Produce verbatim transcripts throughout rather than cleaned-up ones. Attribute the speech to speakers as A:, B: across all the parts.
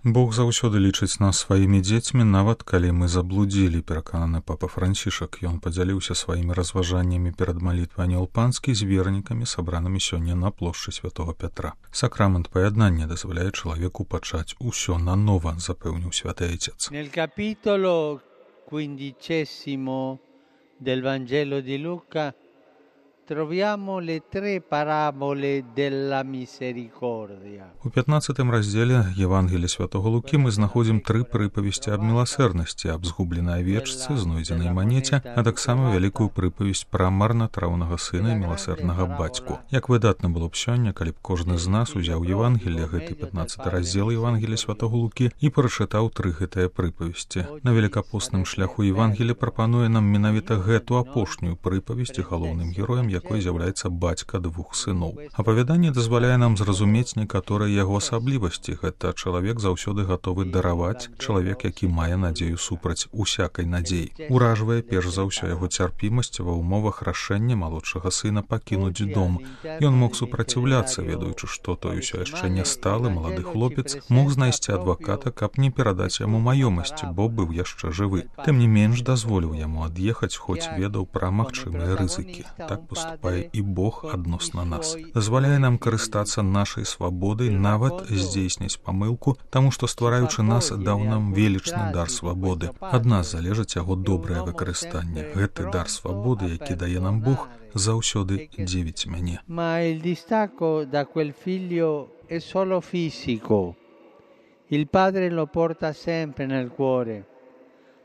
A: Бог заўсёды лічыць нас сваімі дзецьмі, нават калі мы заблудзілі, перакананы папа Францішак. Ён падзяліўся сваімі разважаннямі перад малітвай Анёл Панскі з вернікамі, сабранымі сёння на плошчы Святога Пятра. Сакрамент паяднання дазваляе чалавеку пачаць усё нанова, запэўніў святы Айцец.
B: Nel capitolo quindicesimo del Vangelo di Luca troviamo le tre parabole della misericordia.
A: У пятнаццатым раздзеле Евангелія святого Лукі мы знаходзім тры прыпавесці аб міласэрнасці, аб згубленай авечцы, знойдзенай манеце, а таксама вялікую прыпавесць пра марнатраўнага сына і міласэрнага бацьку. Як выдатна было б сёння, калі б кожны з нас узяў Евангелие, гэты пятнаццаты раздзел Евангелія святого Лукі, і прачытаў тры гэтыя прыпавесці. На великапостным шляху Евангелие прапануе нам менавіта гэту апошнюю прыпавесць, галоўным героем якой з'яўляецца бацька двух сыноў. Апавяданне дазваляе нам зразумець некаторыя яго асаблівасці. Гэта чалавек заўсёды гатовы дараваць, чалавек, які мае надзею супраць усякай надзеі. Уражвае перш за ўсё яго цярпімасць ва ўмовах рашэння малодшага сына пакінуць дом. Ён мог супраціўляцца, ведаючы, што той усё яшчэ не сталы малады хлопец мог знайсці адваката, каб не перадаць яму маёмасць, бо быў яшчэ жывы. Тым не менш дазволіў яму ад'ехаць, хоць ведаў пра магчымыя рызыкі. Так поступае і Бог адносна нас. Дазваляе нам карыстацца нашай свабодай, нават здзейсніць памылку, таму што, ствараючы нас, даў нам велічны дар свабоды. Ад нас залежыць яго добрае выкарыстанне. Гэты дар свабоды, які дае нам Бог, заўсёды дзівіць мяне.
B: Ma il distacco da quel figlio è solo fisico. Il padre lo porta sempre nel cuore.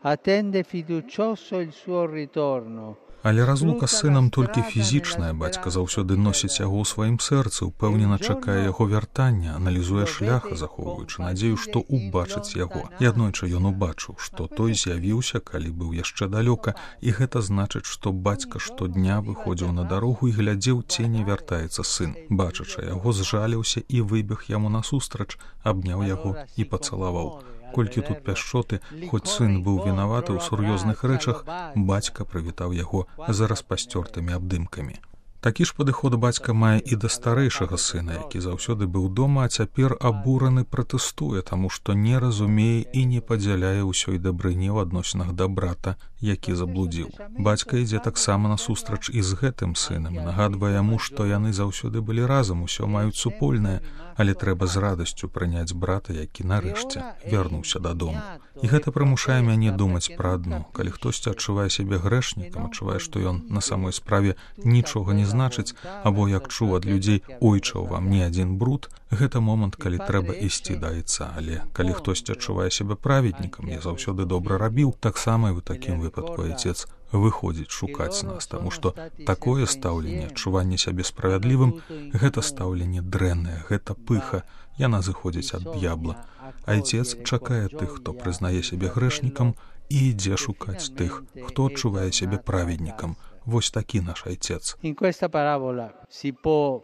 B: Attende fiducioso il suo ritorno.
A: Але разлука з сынам толькі фізічная. Бацька заўсёды носіць яго ў сваім сэрцы, упэўнена чакае яго вяртання, аналізуе шлях, захоўваючы надзею, што убачыць яго. І аднойчы ён убачыў, што той з'явіўся, калі быў яшчэ далёка, і гэта значыць, што бацька штодня выходзіў на дарогу і глядзеў, ці не вяртаецца сын. Бачачы яго, зжаліўся і выбег яму насустрач, абняў яго і пацалаваў. Колькі тут пяшчоты, хоць сын быў вінаваты ў сур'ёзных рэчах, бацька прывітаў яго за распасцёртымі абдымкамі. Такі ж падыход бацька мае і да старэйшага сына, які заўсёды быў дома, а цяпер абураны пратэстуе, таму што не разумее і не падзяляе ўсёй дабрыні ў адносінах да брата, які заблудзіў. Бацька ідзе таксама насустрач і з гэтым сынам, нагадвае яму, што яны заўсёды былі разам, усё маюць супольнае, але трэба з радасцю прыняць брата, які нарэшце вярнуўся дадому. І гэта прымушае мяне думаць пра адно. Калі хтосьці адчувае сябе грэшнікам, адчувае, што ён на самой справе нічога не значыць, або як чуў ад людзей, ойча ў вам не адзін бруд, гэта момант, калі трэба ісці да Айца. Але калі хтосьці адчувае сябе праведнікам, я заўсёды добра рабіў, таксама і ў такім выпадку Айцец выходзіць шукаць нас, таму што такое стаўленне, адчуванне сябе справядлівым, гэта стаўленне дрэннае, гэта пыха, яна зыходзіць ад д'ябла. Айцец чакае тых, хто прызнае сябе грэшнікам, і ідзе шукаць тых, хто адчувае сябе праведнікам. Вось такі наш Айцец.
B: In questa parabola si può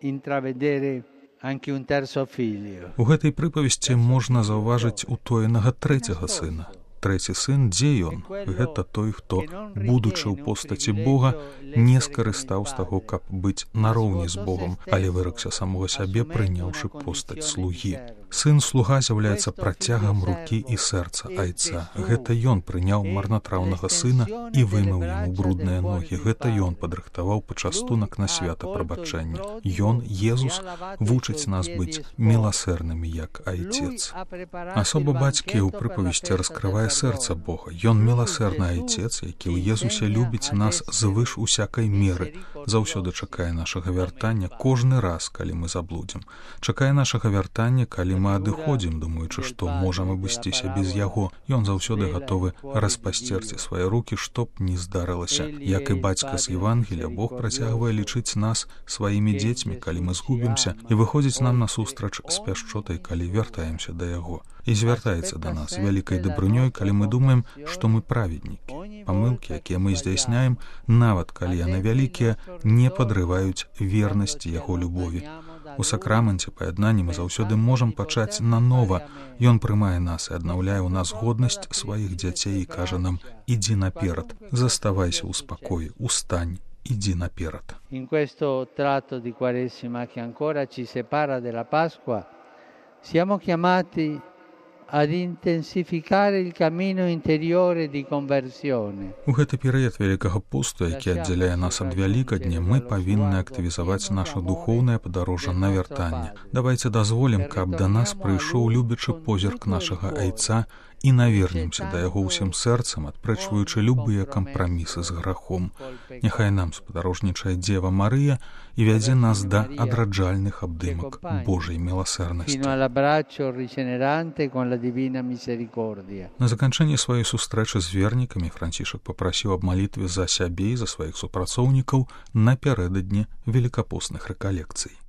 B: intravedere anche un terzo figlio.
A: У гэтай прыпавесці можна заўважыць утоенага трэцяга сына. Трэці сын, дзе ён? Гэта той, хто, будучы ў постаці Бога, не скарыстаў з таго, каб быць нароўні з Богом, але выракся самога сябе, прыняўшы постаць слугі. Сын-слуга з'яўляецца працягам рукі і сэрца Айца. Гэта ён прыняў марнатраўнага сына і вымыў яму брудныя ногі. Гэта ён падрыхтаваў пачастунак на свята прабачэння. Ён, Езус, вучыць нас быць міласэрнымі, як Айцец. Асоба бацькі ў прыпавесці раскрывае сэрца Бога. Ён міласэрны Айцец, які ў Езусе любіць нас звыш усякай меры, заўсёды чакае нашага вяртання кожны раз, калі мы заблудзім. Чакае нашага вяртання, калі мы адыходзім, думаючы, што можам абысціся без яго. Ён заўсёды гатовы распасцерці свае рукі, што б ні здарылася. Як і бацька з Евангелія, Бог працягвае лічыць нас сваімі дзецьмі, калі мы згубімся, і выходзіць нам насустрач з пяшчотай, калі вяртаемся да яго. І звяртаецца да нас вялікай дабрынёй, калі мы думаем, што мы праведнікі. Памылкі, якія мы здзяйсняем, нават калі яны вялікія, не падрываюць вернасці яго любові. У сакраменце паяднання мы заўсёды можам пачаць нанова. Ён прымае нас і аднаўляе ў нас годнасць сваіх дзяцей і кажа нам: ідзі наперад, заставайся ў спакоі, устань, ідзі наперад.
B: In questo tratto di Quaresima che ancora ci separa della Pasqua, siamo chiamati ad intensificare il cammino interiore di conversione.
A: У гэты перыяд вялікага посту, які аддзяляе нас ад вялікадня, мы павінны актывізаваць наша духоўнае падарожжа на вяртанне. Давайце дазволім, каб да нас прыйшоў любячы позірк нашага айца і навернемся да яго ўсім сэрцам, адпрэчваючы любыя кампрамісы з грахом. Няхай нам спадарожнічае Дзева Марыя і вядзе нас да адраджальных абдымак Божай міласэрнасці. На заканчэнне сваёй сустрэчы з вернікамі Францішак папрасіў аб малітве за сябе і за сваіх супрацоўнікаў напярэдадні велікапостных рэкалекцый.